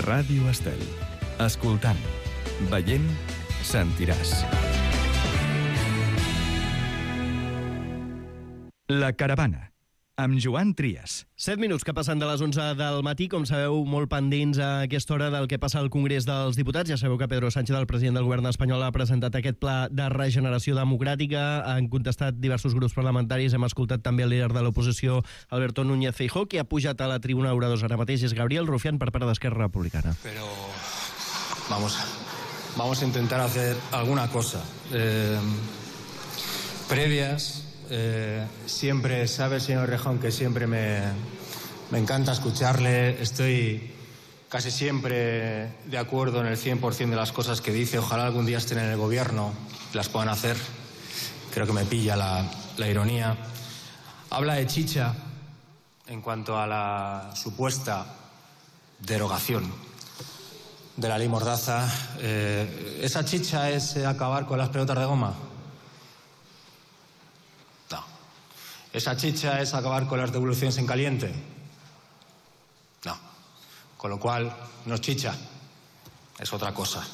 Ràdio Estel. Escoltant, veient, sentiràs. La Caravana, amb Joan Trias. 7 minuts que passen de les 11 del matí, com sabeu, molt pendents a aquesta hora del que passa al Congrés dels Diputats. Ja sabeu que Pedro Sánchez, el president del govern espanyol, ha presentat aquest pla de regeneració democràtica. Han contestat diversos grups parlamentaris. Hem escoltat també el líder de l'oposició, Alberto Núñez Feijóo, que ha pujat a la tribuna oradors ara mateix. És Gabriel Rufián per part d'Esquerra Republicana. Pero vamos a intentar hacer alguna cosa. Previas... siempre sabe, señor Rejón, que siempre me encanta escucharle. Estoy casi siempre de acuerdo en el 100% de las cosas que dice. Ojalá algún día estén en el gobierno y las puedan hacer. Creo que me pilla la ironía. Habla de chicha en cuanto a la supuesta derogación de la ley Mordaza. ¿Esa chicha es acabar con las pelotas de goma? ¿Esa chicha es acabar con las devoluciones en caliente? No. Con lo cual, no es chicha, es otra cosa.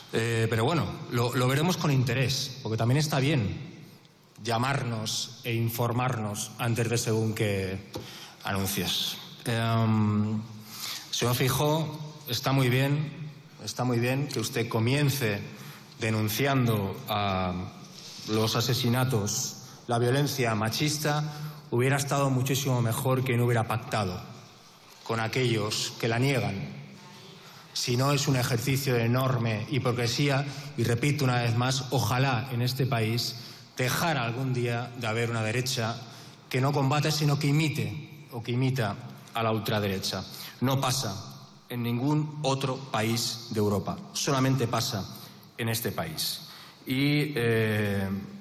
Pero bueno, lo veremos con interés, porque también está bien llamarnos e informarnos antes de según qué anuncios. Señor Feijóo, está muy bien que usted comience denunciando a los asesinatos, la violencia machista. Hubiera estado muchísimo mejor que no hubiera pactado con aquellos que la niegan. Si no, es un ejercicio de enorme hipocresía y repito una vez más, ojalá en este país dejara algún día de haber una derecha que no combate sino que imite o que imita a la ultraderecha. No pasa en ningún otro país de Europa, solamente pasa en este país. Y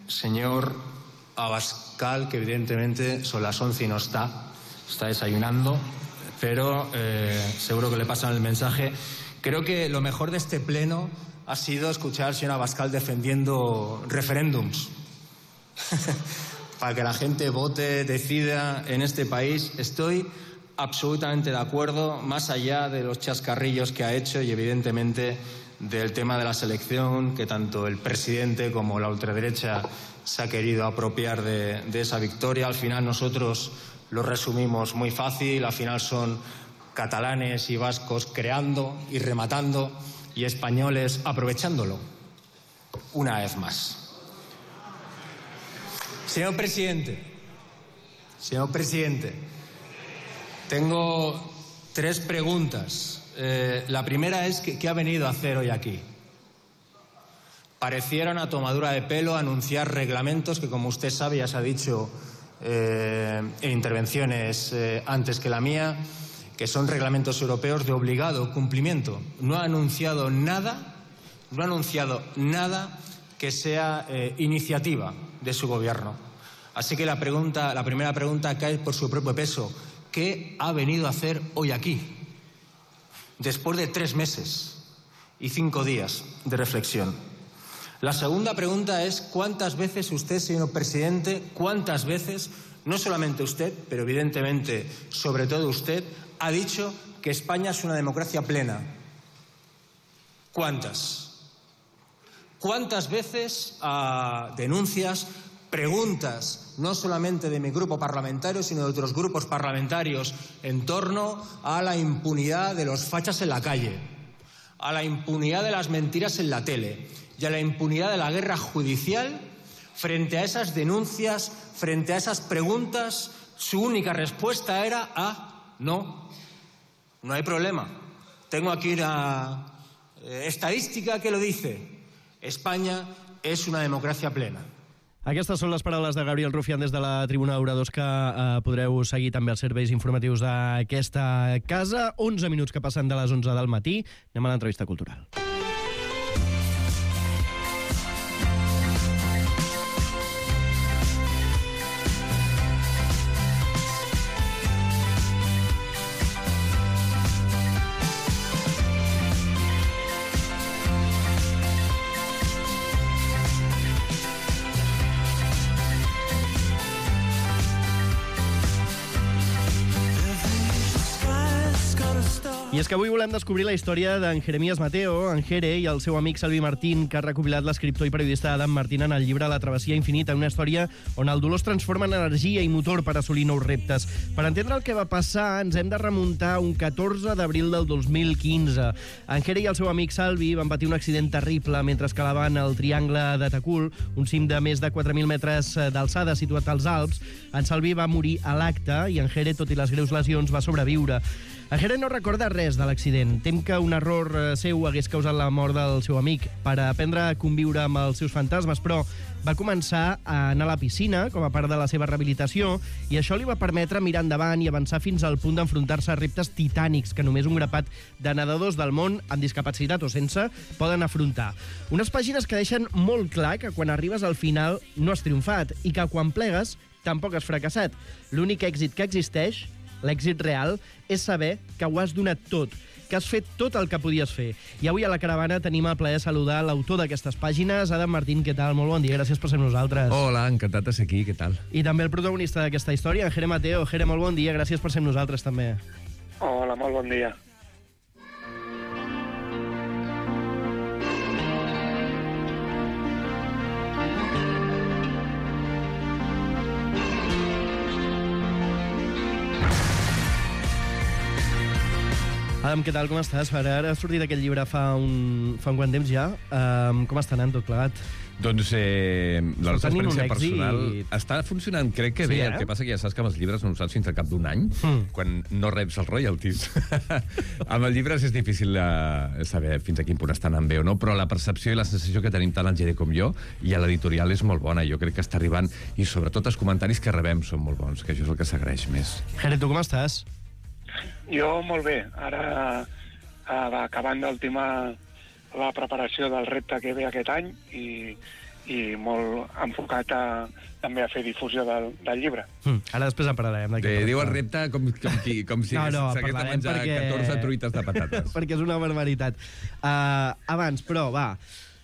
señor Abascal, que evidentemente son las 11 y no está desayunando, pero seguro que le pasan el mensaje. Creo que lo mejor de este pleno ha sido escuchar al señor Abascal defendiendo referéndums para que la gente vote, decida en este país. Estoy absolutamente de acuerdo, más allá de los chascarrillos que ha hecho y evidentemente del tema de la selección, que tanto el presidente como la ultraderecha se ha querido apropiar de esa victoria. Al final nosotros lo resumimos muy fácil, al final son catalanes y vascos creando y rematando y españoles aprovechándolo. Una vez más. Señor presidente, tengo 3 preguntas. La primera es, ¿qué ha venido a hacer hoy aquí? Pareciera una tomadura de pelo anunciar reglamentos que, como usted sabe, ya se ha dicho en intervenciones antes que la mía, que son reglamentos europeos de obligado cumplimiento. No ha anunciado nada que sea iniciativa de su gobierno. Así que la primera pregunta cae por su propio peso. ¿Qué ha venido a hacer hoy aquí? Después de 3 meses y 5 días de reflexión. La segunda pregunta es, ¿cuántas veces usted, señor presidente, cuántas veces, no solamente usted, pero evidentemente, sobre todo usted, ha dicho que España es una democracia plena? ¿Cuántas? ¿Cuántas veces denuncias, preguntas, no solamente de mi grupo parlamentario, sino de otros grupos parlamentarios, en torno a la impunidad de los fachas en la calle, a la impunidad de las mentiras en la tele y a la impunidad de la guerra judicial? Frente a esas denuncias, frente a esas preguntas, su única respuesta era no hay problema. Tengo aquí una estadística que lo dice. España és una democràcia plena. Aquestes són les paraules de Gabriel Rufián des de la tribuna d'oradors que podreu seguir també els serveis informatius d'aquesta casa. 11 minuts que passen de les 11 del matí. Anem a l'entrevista cultural. I I és que avui volem descobrir la història d'en Jeremías Mateo, en Jere, i el seu amic Salvi Martín, que ha recopilat l'escriptor i periodista Adam Martín en el llibre La travessia infinita, una història on el dolor es transforma en energia i motor per assolir nous reptes. Per entendre el que va passar, ens hem de remuntar un 14 d'abril del 2015. En Jere i el seu amic Salvi van patir un accident terrible mentre escalaven el Triangle de Takul, un cim de més de 4.000 metres d'alçada situat als Alps. En Salvi va morir a l'acte i en Jere, tot i les greus lesions, va sobreviure. En Jere no recorda res de l'accident. Tem que un error seu hagués causat la mort del seu amic. Per aprendre a conviure amb els seus fantasmes, però va començar a anar a la piscina com a part de la seva rehabilitació i això li va permetre mirar endavant i avançar fins al punt d'enfrontar-se a reptes titànics que només un grapat de nedadors del món, amb discapacitat o sense, poden afrontar. Unes pàgines que deixen molt clar que quan arribes al final no has triomfat i que quan plegues tampoc has fracassat. L'únic èxit que existeix, l'èxit real, és saber que ho has donat tot, que has fet tot el que podies fer. I avui a la caravana tenim el plaer de saludar l'autor d'aquestes pàgines, Adam Martín. Què tal? Molt bon dia, gràcies per ser amb nosaltres. Hola, encantat de ser aquí, què tal? I també el protagonista d'aquesta història, en Jere Mateo. Jere, molt bon dia, gràcies per ser amb nosaltres també. Hola, molt bon dia. Adam, què tal, com estàs? Ara ha sortit aquest llibre fa un quant temps ja. Com està anant tot plegat? Doncs la nostra experiència personal està funcionant, crec que sí, bé. El que passa que ja saps que amb els llibres no ho saps fins al cap d'un any, quan no reps els royalties. Amb els llibres és difícil saber fins a quin punt estan anant bé o no, però la percepció i la sensació que tenim tant el Jere com jo i a l'editorial és molt bona. Jo crec que està arribant, i sobretot els comentaris que rebem són molt bons, que això és el que s'agraeix més. Jere, tu com estàs? Jo molt bé. Ara va acabant d'ultimar la preparació del repte que ve aquest any i molt enfocat també a fer difusió del llibre. Ara després en parlarem. Diu el repte com si s'hagués de menjar 14 truites de patates. Perquè és una barbaritat. Abans, però, va.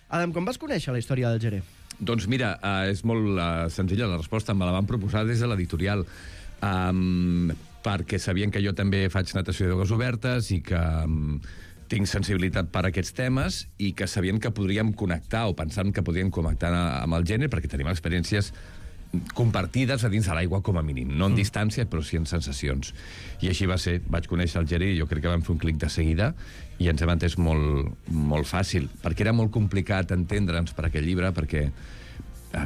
Adam, com vas conèixer la història del Jere? Doncs mira, és molt senzilla la resposta. Me la van proposar des de l'editorial. Perquè sabien que jo també faig natació d'aigües obertes i que tinc sensibilitat per a aquests temes i que sabien que podríem connectar o pensaven que podríem connectar amb el gènere perquè tenim experiències compartides a dins de l'aigua com a mínim. No en distància, però sí en sensacions. I així va ser. Vaig conèixer el Jere i jo crec que vam fer un clic de seguida i ens hem entès molt fàcil, perquè era molt complicat entendre'ns per aquest llibre, perquè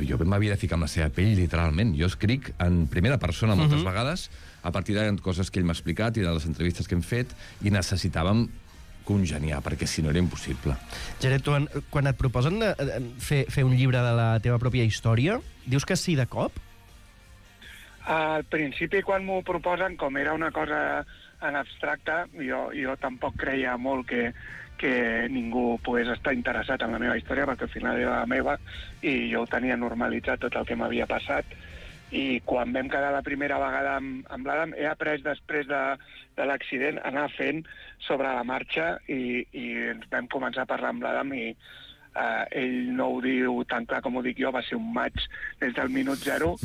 jo m'havia de ficar amb la seva pell, literalment. Jo escric en primera persona moltes vegades, a partir de coses que ell m'ha explicat i de les entrevistes que hem fet, i necessitàvem congeniar, perquè si no era impossible. Jere, tu, quan et proposen fer un llibre de la teva pròpia història, dius que sí de cop? Al principi, quan m'ho proposen, com era una cosa en abstracte, jo tampoc creia molt que ningú pogués estar interessat en la meva història, perquè al final era la meva i jo ho tenia normalitzat tot el que m'havia passat. I quan vam quedar la primera vegada amb l'Adam, he après després de l'accident anar fent sobre la marxa i ens vam començar a parlar amb l'Adam i ell no ho diu tan clar com ho dic jo, va ser un maig des del minut 0.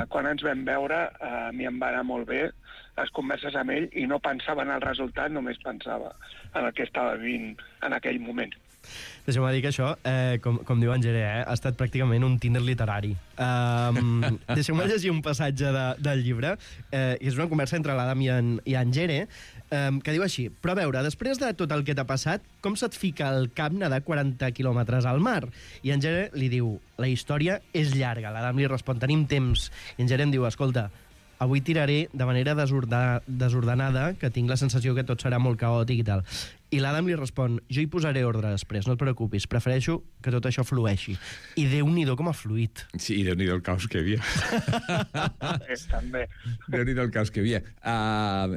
Quan ens vam veure, a mi em va anar molt bé les converses amb ell i no pensava en el resultat, només pensava en el que estava vivint en aquell moment. Deixa'm dir que això, com diu en Jere, ha estat pràcticament un Tinder literari. Deixeu-me llegir un passatge del llibre, i és una conversa entre l'Adam i en Jere, que diu així: però a veure, després de tot el que t'ha passat, com se't fica al cap nedar 40 quilòmetres al mar? I en Jere li diu: la història és llarga. L'Adam li respon: tenim temps. I en Jere em diu: escolta, avui tiraré de manera desordenada, que tinc la sensació que tot serà molt caòtic i tal. I l'Adam li respon: jo hi posaré ordre després, no et preocupis, prefereixo que tot això flueixi. I Déu-n'hi-do com ha fluït. Sí, i Déu-n'hi-do el caos que hi havia. També. Déu-n'hi-do el caos que hi havia.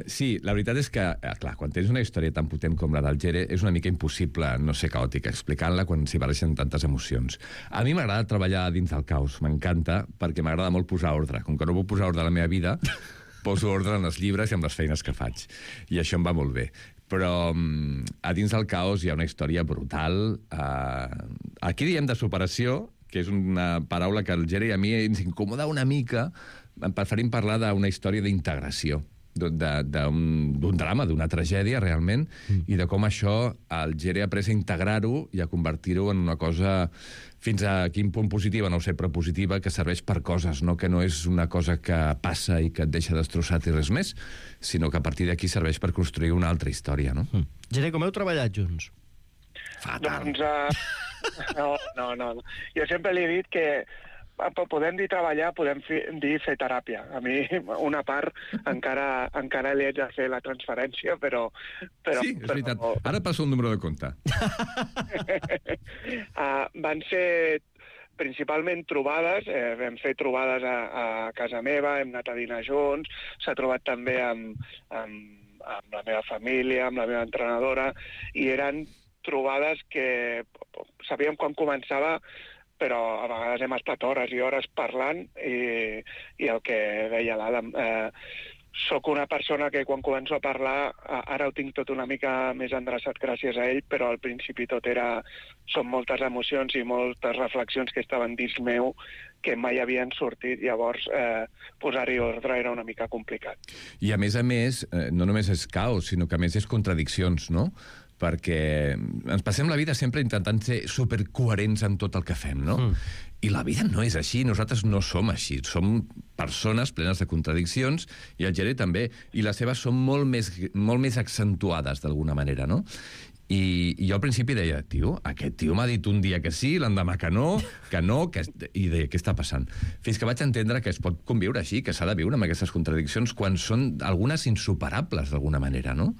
Sí, la veritat és que, clar, quan tens una història tan potent com la del Jere, és una mica impossible no ser caòtica explicant-la quan s'hi barregen tantes emocions. A mi m'agrada treballar dins del caos, m'encanta, perquè m'agrada molt posar ordre. Com que no puc posar ordre a la meva vida, poso ordre en els llibres i en les feines que faig. I això em va molt bé. Però a dins del caos hi ha una història brutal. Aquí diem de superació, que és una paraula que al Jere i a mi ens incomoda una mica. Preferim parlar d'una història d'integració. d'un drama, d'una tragèdia, realment, i de com això el Gere ha après a integrar-ho i a convertir-ho en una cosa fins a quin punt positiva, no ho sé, però positiva, que serveix per coses, no? Que no és una cosa que passa i que et deixa destrossat i res més, sinó que a partir d'aquí serveix per construir una altra història, no? Gere, com heu treballat junts? Fatal. Doncs, no. Jo sempre li he dit que podem dir treballar, podem dir fer teràpia. A mi, una part, encara li haig de fer la transferència, però sí, és veritat. Ara passo un número de compte. Van ser principalment trobades, vam fer trobades a casa meva, hem anat a dinar junts, s'ha trobat també amb la meva família, amb la meva entrenadora, i eren trobades que sabíem quan començava, però a vegades hem estat hores i hores parlant i el que deia l'Adam, soc una persona que quan començo a parlar ara ho tinc tot una mica més endreçat gràcies a ell, però al principi són moltes emocions i moltes reflexions que estaven dins meu que mai havien sortit, llavors posar-hi ordre era una mica complicat. I a més, no només és caos, sinó que a més és contradiccions, no? Perquè ens passem la vida sempre intentant ser supercoherents en tot el que fem, no? I la vida no és així, nosaltres no som així, som persones plenes de contradiccions, i el Gere també, i les seves són molt més accentuades, d'alguna manera, no? I jo al principi deia, aquest tio m'ha dit un dia que sí, l'endemà que no, i deia, què està passant? Fins que vaig entendre que es pot conviure així, que s'ha de viure amb aquestes contradiccions quan són algunes insuperables, d'alguna manera, no?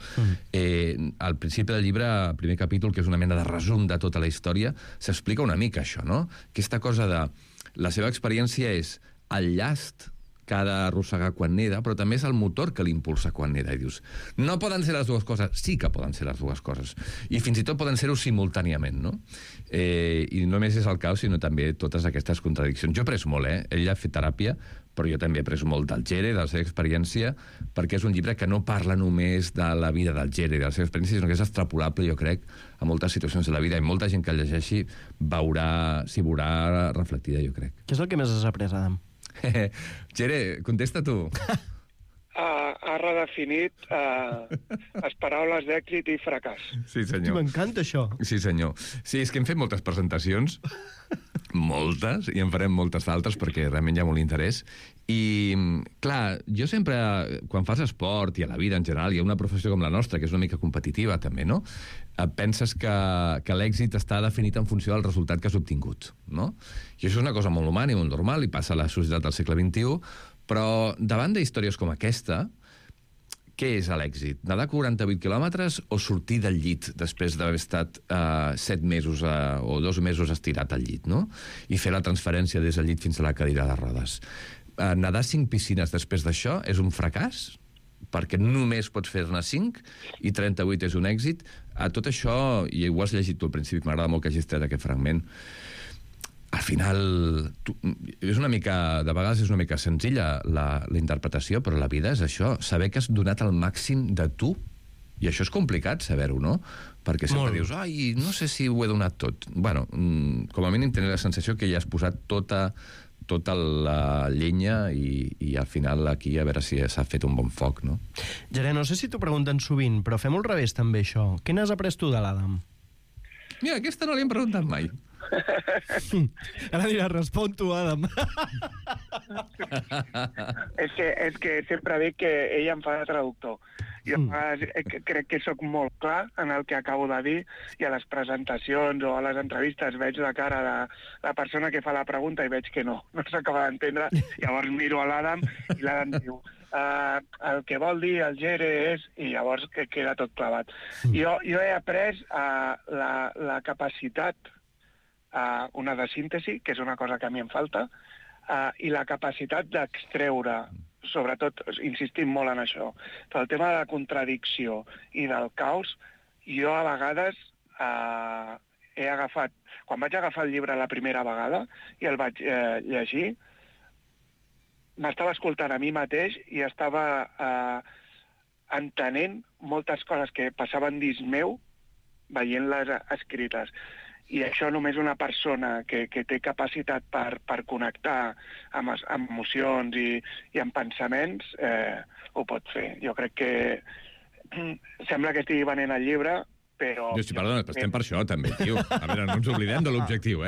Al principi del llibre, el primer capítol, que és una mena de resum de tota la història, s'explica una mica això, no? Aquesta cosa de... La seva experiència és el llast que ha d'arrossegar quan neda, però també és el motor que l'impulsa quan neda. I dius, no poden ser les dues coses. Sí que poden ser les dues coses. I fins i tot poden ser-ho simultàniament, no? I no només és el caos, sinó també totes aquestes contradiccions. Jo he après molt, Ell ha fet teràpia, però jo també he après molt del Gere, de la seva experiència, perquè és un llibre que no parla només de la vida del Gere, de la seva experiència, sinó que és extrapolable, jo crec, a moltes situacions de la vida. I molta gent que el llegeixi s'hi veurà reflectida, jo crec. Què és el que més has après, Adam? Gere, contesta tu. Ha redefinit les paraules d'èxit i fracàs. Sí, senyor. M'encanta això. Sí, senyor. Sí, és que hem fet moltes presentacions, moltes, i en farem moltes d'altres perquè realment hi ha molt interès. I, clar, jo sempre, quan fas esport i a la vida en general, hi ha una professió com la nostra, que és una mica competitiva també, no? Penses que l'èxit està definit en funció del resultat que has obtingut, no? I això és una cosa molt humana i molt normal, i passa a la societat del segle XXI, però davant d'històries com aquesta, què és l'èxit? Nedar 48 quilòmetres o sortir del llit després d'haver estat 7 mesos o 2 mesos estirat al llit, no? I fer la transferència des del llit fins a la cadira de rodes. Nedar 5 piscines després d'això és un fracàs? Perquè només pots fer-ne 5 i 38 és un èxit. A tot això, i ho has llegit tu al principi, m'agrada molt que hagis tret aquest fragment, al final és una mica, de vegades és una mica senzilla la interpretació, però la vida és això, saber que has donat el màxim de tu, i això és complicat saber-ho, no? Perquè sempre dius, ai, no sé si ho he donat tot. Bueno, com a mínim tenir la sensació que ja has posat tota la llenya i al final aquí a veure si s'ha fet un bon foc, no? Gere, no sé si t'ho pregunten sovint, però fem-ho al revés també, això. Què n'has après tu de l'Adam? Mira, aquesta no l'hem preguntat mai. Ara diràs, respon tu, Adam. És que sempre dic que ell em fa de traductor. Jo crec que sóc molt clar en el que acabo de dir, i a les presentacions o a les entrevistes veig la cara de la persona que fa la pregunta i veig que no s'acaba d'entendre. Llavors miro a l'Adam i l'Adam diu el que vol dir el Gere és... I llavors queda tot clavat. Jo he après la capacitat, una de síntesi, que és una cosa que a mi em falta, i la capacitat d'extreure, sobretot, insistim molt en això, però el tema de la contradicció i del caos, jo a vegades he agafat... Quan vaig agafar el llibre la primera vegada i el vaig llegir, m'estava escoltant a mi mateix i estava entenent moltes coses que passaven dins meu veient-les escrites. I això només una persona que té capacitat per connectar amb emocions i amb pensaments ho pot fer. Jo crec que sembla que estigui venent el llibre, però... Perdona, estem per això, també, tio. A veure, no ens oblidem de l'objectiu,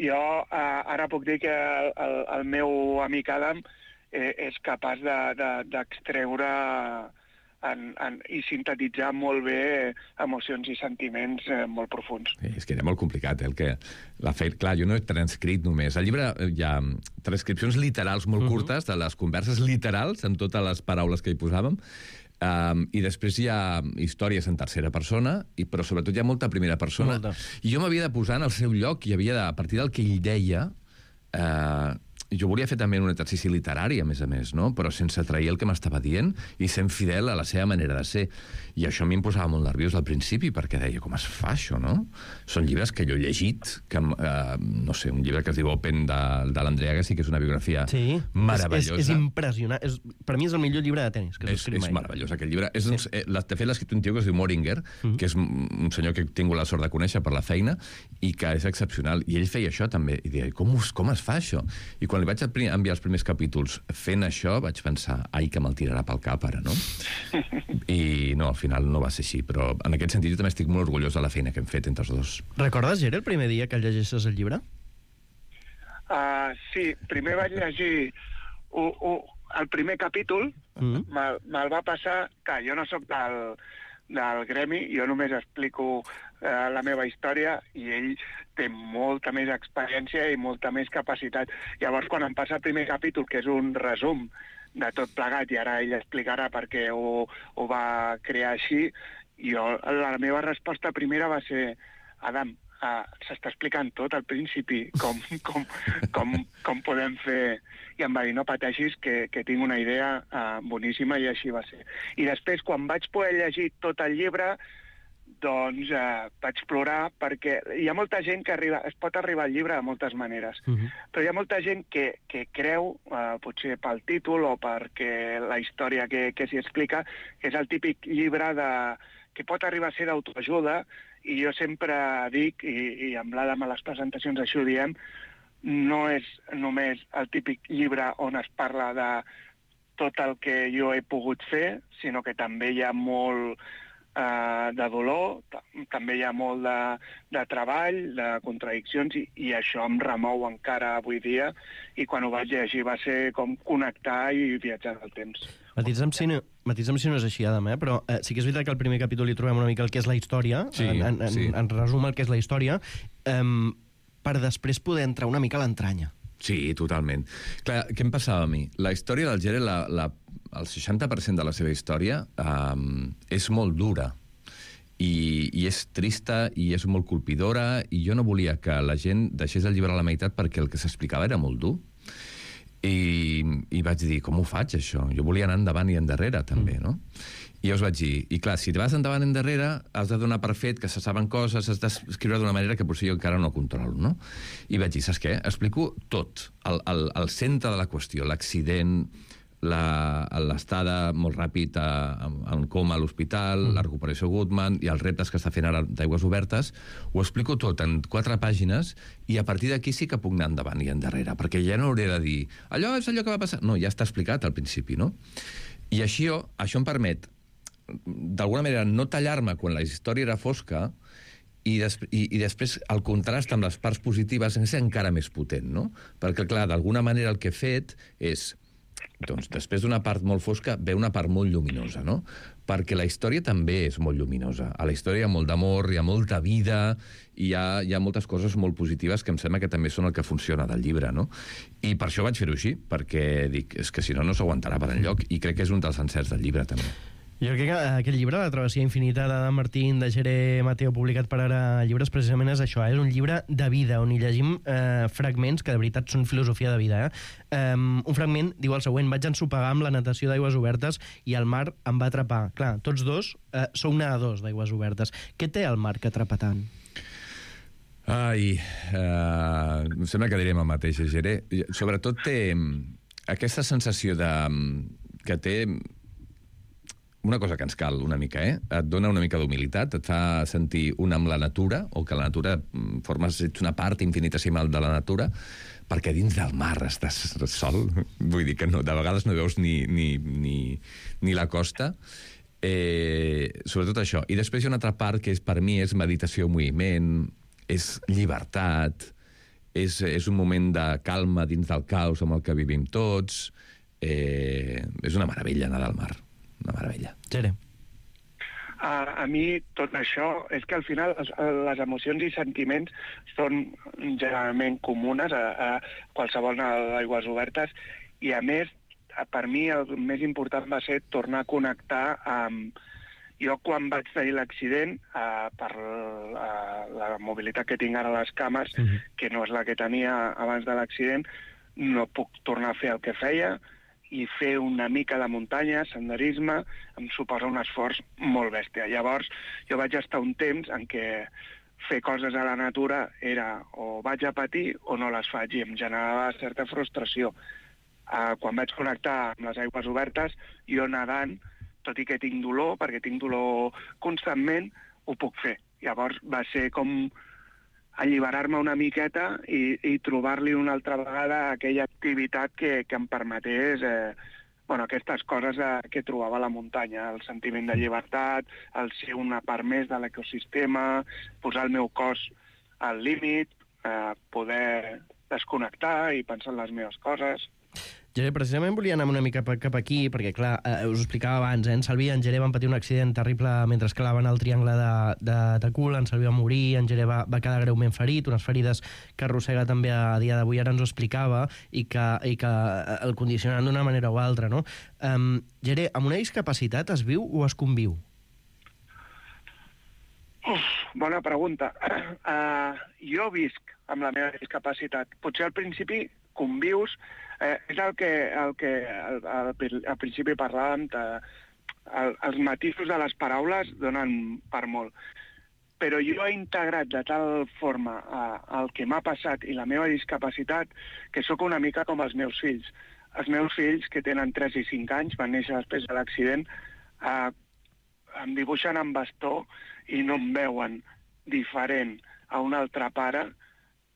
Jo ara puc dir que el meu amic Adam és capaç d'extreure i sintetitzar molt bé emocions i sentiments molt profuns. És que era molt complicat, clar, jo no he transcrit només. Al llibre hi ha transcripcions literals molt curtes de les converses literals, amb totes les paraules que hi posàvem, i després hi ha històries en tercera persona, però sobretot hi ha molta primera persona. I jo m'havia de posar en el seu lloc i havia de, a partir del que ell deia... Jo volia fer també un exercici literari, a més, no? Però sense trair el que m'estava dient i sent fidel a la seva manera de ser. I això a mi em posava molt nerviós al principi, perquè deia, com es fa això, no? Són llibres que jo he llegit, no sé, un llibre que es diu Open, de l'Andrea Agassi, que és una biografia meravellosa. És impressionant. Per mi és el millor llibre de tenis que s'ha escrit mai. És meravellós, aquest llibre. De fet, l'ha escrit un tio que es diu Moringer, que és un senyor que he tingut la sort de conèixer per la feina, i que és excepcional. I ell feia això també. I deia, com es fa això? I quan li vaig enviar els primers capítols fent això, vaig pensar, ai, que me'l tirarà pel cap ara, no? I no, al final no va ser així, però en aquest sentit jo també estic molt orgullós de la feina que hem fet entre els dos. Recordes, Gere, el primer dia que llegissis el llibre? Sí, primer vaig llegir el primer capítol, me'l va passar, que jo no sóc del gremi, jo només explico la meva història i ell té molta més experiència i molta més capacitat. Llavors, quan em passa el primer capítol, que és un resum de tot plegat, i ara ell explicarà per què ho va crear així, la meva resposta primera va ser, Adam, s'està explicant tot al principi, com podem fer... I em va dir, no pateixis, que tinc una idea boníssima, i així va ser. I després, quan vaig poder llegir tot el llibre, doncs vaig plorar, perquè hi ha molta gent que es pot arribar al llibre de moltes maneres, però hi ha molta gent que creu, potser pel títol o perquè la història que s'hi explica, que és el típic llibre que pot arribar a ser d'autoajuda, i jo sempre dic, i amb l'Adam a les presentacions així ho diem, no és només el típic llibre on es parla de tot el que jo he pogut fer, sinó que també hi ha molt de dolor, també hi ha molt de treball, de contradiccions, i això em remou encara avui dia, i quan ho vaig llegir va ser com connectar i viatjar del temps. Matisa'm si no és així, Adam, però sí que és veritat que al primer capítol hi trobem una mica el que és la història, en resum el que és la història, per després poder entrar una mica a l'entranya. Sí, totalment. Clar, què em passava a mi? La història del Gere, el 60% de la seva història és molt dura i és trista i és molt colpidora, i jo no volia que la gent deixés el llibre a la meitat perquè el que s'explicava era molt dur. I vaig dir, com ho faig, això? Jo volia anar endavant i endarrere, també, no? I llavors vaig dir, i clar, si te vas endavant i endarrere, has de donar per fet que se saben coses, has d'escriure d'una manera que potser jo encara no controlo, no? I vaig dir, saps què? Explico tot, el centre de la qüestió, l'accident, l'estada molt ràpid en coma a l'hospital, la recuperació Goodman i els reptes que està fent ara d'Aigües Obertes, ho explico tot en 4 pàgines, i a partir d'aquí sí que puc anar endavant i endarrere, perquè ja no hauré de dir, allò és allò que va passar. No, ja està explicat al principi, no? I això em permet, d'alguna manera, no tallar-me quan la història era fosca, i després el contrast amb les parts positives és encara més potent, no? Perquè, clar, d'alguna manera el que he fet és, doncs, després d'una part molt fosca ve una part molt lluminosa, no? Perquè la història també és molt lluminosa. A la història hi ha molt d'amor, hi ha molta vida, i hi ha moltes coses molt positives que em sembla que també són el que funciona del llibre, no? I per això vaig fer-ho així, perquè dic, és que si no, no s'aguantarà per enlloc, i crec que és un dels encerts del llibre, també. Jo crec que aquest llibre, La travessia infinita d'Adam Martín, de Gere Mateo, publicat per Ara Llibres, precisament és això, és un llibre de vida, on hi llegim fragments que de veritat són filosofia de vida. Un fragment diu el següent: vaig ensopegar amb la natació d'Aigües Obertes i el mar em va atrapar. Clar, tots dos sou nedadors d'Aigües Obertes. Què té el mar que atrapa tant? Ai, em sembla que direm el mateix, Gere. Sobretot té aquesta sensació que té una cosa que ens cal una mica, et dona una mica d'humilitat, et fa sentir una amb la natura, o que la natura ets una part infinitesimal de la natura, perquè dins del mar estàs sol, vull dir que no, de vegades no veus ni la costa, sobretot això. I després hi ha una altra part que per mi és meditació en moviment, és llibertat, és un moment de calma dins del caos amb el que vivim tots, és una meravella anar al mar, una meravella. Jere. A mi tot això és que al final les emocions i sentiments són generalment comunes a qualsevol d'aigües obertes i a més, per mi el més important va ser tornar a connectar amb... Jo quan vaig tenir l'accident, per la mobilitat que tinc ara a les cames, que no és la que tenia abans de l'accident, no puc tornar a fer el que feia, i fer una mica de muntanya, senderisme, em suposa un esforç molt bèstia. Llavors, jo vaig estar un temps en què fer coses a la natura era o vaig a patir o no les faig, i em generava certa frustració. Quan vaig connectar amb les aigües obertes, jo nedant, tot i que tinc dolor, perquè tinc dolor constantment, ho puc fer. Llavors va ser com alliberar-me una miqueta i trobar-li una altra vegada aquella activitat que em permetés aquestes coses que trobava a la muntanya, el sentiment de llibertat, el ser una part més de l'ecosistema, posar el meu cos al límit, poder desconnectar i pensar en les meves coses. Jere, precisament volia anar una mica cap aquí, perquè, clar, us ho explicava abans, en Salvi i en Jere van patir un accident terrible mentre escalaven el triangle de Cul, en Salvi va morir, en Jere va quedar greument ferit, unes ferides que arrossega també a dia d'avui, ara ens ho explicava, i que el condicionen d'una manera o altra, no? Jere, amb una discapacitat es viu o es conviu? Bona pregunta. Jo visc amb la meva discapacitat. Potser al principi convius, és el que al principi parlàvem, els matisos de les paraules donen per molt. Però jo he integrat de tal forma el que m'ha passat i la meva discapacitat que sóc una mica com els meus fills. Els meus fills, que tenen 3 i 5 anys, van néixer després de l'accident, em dibuixen amb bastó i no em veuen diferent a un altre pare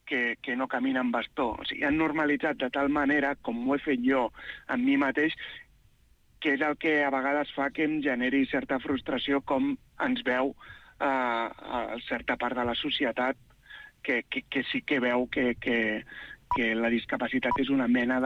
que no camina amb bastó. O sigui, han normalitzat de tal manera, com ho he fet jo amb mi mateix, que és el que a vegades fa que em generi certa frustració com ens veu certa part de la societat que sí que veu que la discapacitat és una mena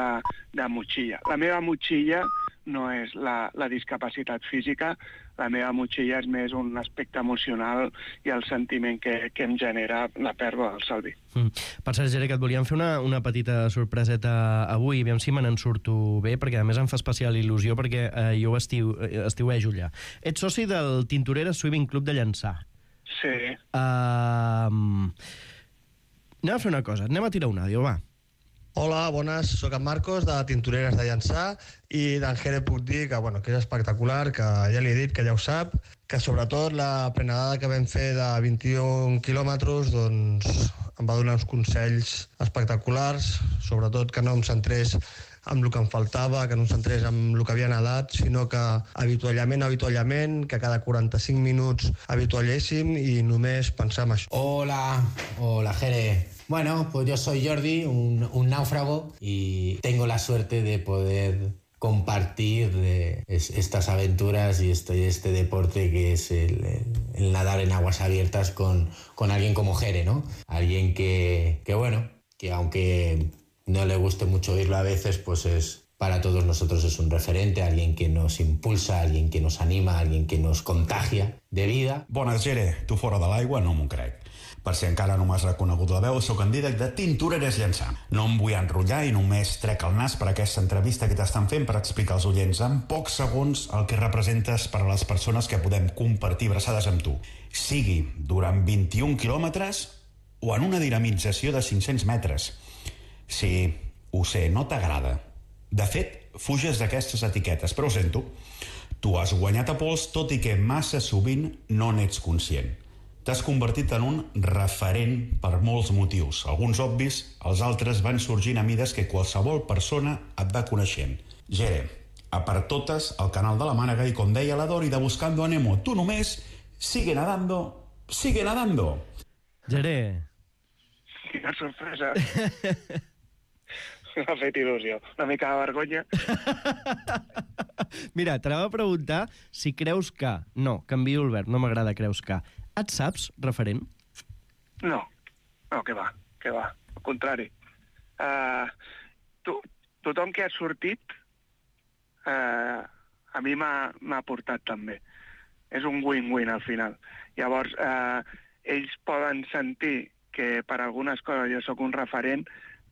de motxilla. La meva motxilla no és la discapacitat física, la meva motxilla és més un aspecte emocional i el sentiment que em genera la pèrdua del Salvi. Per cert, Jere, que et volíem fer una petita sorpreseta avui, aviam si me n'en surto bé, perquè a més em fa especial il·lusió, perquè jo estiuejo allà. Ets soci del Tintoreres Swimming Club de Llançà. Sí. Anem a fer una cosa, anem a tirar un àudio, va. Hola, bones, sóc en Marcos, de Tintoreres de Llançà, i d'en Jere puc dir que és espectacular, que ja li he dit, que ja ho sap, que sobretot la prenegada que vam fer de 21 quilòmetres, doncs em va donar uns consells espectaculars, sobretot que no em centrés amb el que em faltava, que no em centrés amb el que havia nedat, sinó que avituallament, que cada 45 minuts avitualléssim i només pensar en això. Hola Jere. Bueno, pues yo soy Jordi, un náufrago, y tengo la suerte de poder compartir estas aventuras y este deporte que es el nadar en aguas abiertas con alguien como Jere, ¿no? Alguien que aunque no le guste mucho oírlo a veces, pues para todos nosotros es un referente, alguien que nos impulsa, alguien que nos anima, alguien que nos contagia de vida. Bones, Jere, tu fora de l'aigua no m'ho crec. Per si encara no m'has reconegut la veu, sóc en Dídac de Tintoreres Llançà. No em vull enrotllar i només trec el nas per aquesta entrevista que t'estan fent per explicar als oients en pocs segons el que representes per a les persones que podem compartir abraçades amb tu. Sigui durant 21 quilòmetres o en una dinamització de 500 metres. Sí, ho sé, no t'agrada. De fet, fuges d'aquestes etiquetes, però ho sento. Tu has guanyat a pols, tot i que massa sovint no n'ets conscient. T'has convertit en un referent per molts motius. Alguns obvis, els altres van sorgint a mides que qualsevol persona et va coneixent. Jere, a per totes al canal de la Mànega i, com deia la Dori, de Buscando a Nemo, tu només sigue nadando, sigue nadando. Geré. Quina sorpresa. M'ha fet il·lusió. Una mica de vergonya. Mira, t'anava a preguntar si creus que... No, canvio el verb, no m'agrada creus que. Et saps referent? No, que va. Al contrari. Tothom que ha sortit a mi m'ha portat també. És un win-win al final. Llavors, ells poden sentir que per algunes coses jo sóc un referent,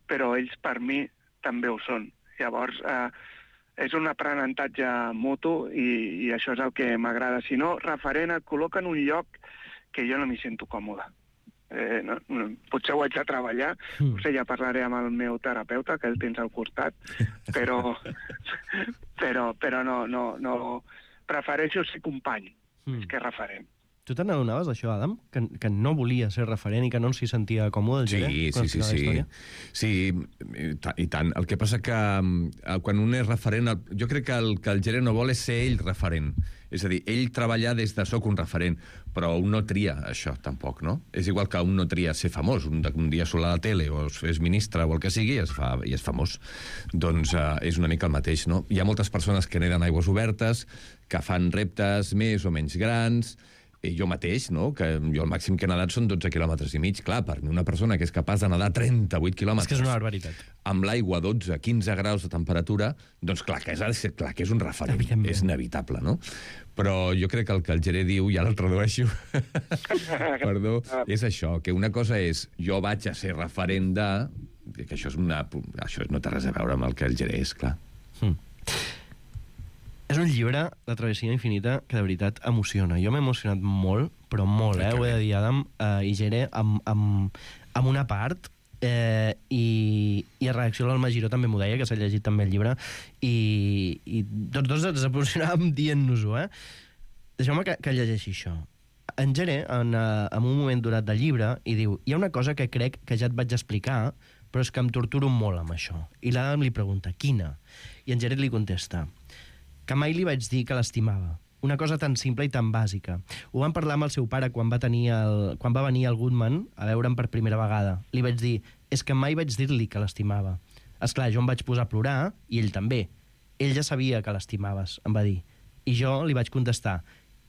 però ells per mi també ho són. Llavors, és un aprenentatge mutu i això és el que m'agrada. Si no, referent et col·loca en un lloc que jo no m'hi sento còmode. Potser ho haig de treballar, potser ja parlaré amb el meu terapeuta, que el tens al costat, però no. Prefereixo ser company, més que referent. Tu te n'adonaves d'això, Adam? Que no volia ser referent i que no s'hi sentia còmode, el Geré? Sí, i tant. El que passa que quan un és referent... Jo crec que el Geré no vol és ser ell referent. És a dir, ell treballar des de soc un referent, però un no tria això, tampoc, no? És igual que un no tria ser famós. Un dia surt a la tele o és ministre o el que sigui i és famós. Doncs és una mica el mateix, no? Hi ha moltes persones que neden aigües obertes, que fan reptes més o menys grans, i jo mateix, no? Que jo el màxim que he nedat són 12 quilòmetres i mig. Clar, per mi una persona que és capaç de nedar 38 quilòmetres... És que és una barbaritat. Amb l'aigua a 12-15 graus de temperatura, doncs clar que és un referent. És inevitable, no? Però jo crec que el Geré diu, ja el tradueixo, perdó, és això, que una cosa és jo vaig a ser referent de... que això no té res a veure amb el que el Geré és, clar. És un llibre, La travessia infinita, que de veritat emociona. Jo m'he emocionat molt, però molt, ho he de dir, Adam i Geré, amb una part, i a reacció l'Alma Giró també m'ho deia, que s'ha llegit també el llibre, i tots dos ens emocionàvem dient-nos-ho, Deixeu-me que llegeixi això. En Geré, en un moment durat del llibre, i diu, hi ha una cosa que crec que ja et vaig explicar, però és que em torturo molt amb això. I l'Adam li pregunta, quina? I en Geré li contesta, que mai li vaig dir que l'estimava. Una cosa tan simple i tan bàsica. Ho van parlar amb el seu pare quan va venir al Goodman a veure'm per primera vegada. Li vaig dir, és que mai vaig dir-li que l'estimava. Esclar, jo em vaig posar a plorar, i ell també. Ell ja sabia que l'estimaves, em va dir. I jo li vaig contestar,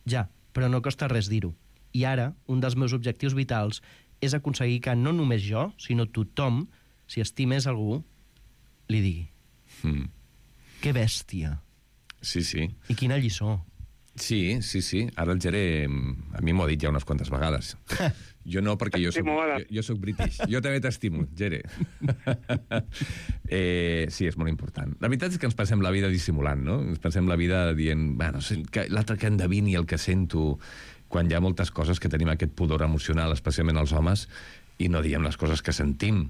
ja, però no costa res dir-ho. I ara, un dels meus objectius vitals és aconseguir que no només jo, sinó tothom, si estimés algú, li digui. Que bèstia. Sí. I quina lliçó. Sí. Ara el Geré a mi m'ho ha dit ja unes quantes vegades. Jo no, perquè jo soc british. Jo també t'estimo, Geré. Sí, és molt important. La veritat és que ens passem la vida dissimulant, no? Ens passem la vida dient, l'altre que endevini el que sento, quan hi ha moltes coses que tenim aquest pudor emocional, especialment els homes, i no diem les coses que sentim.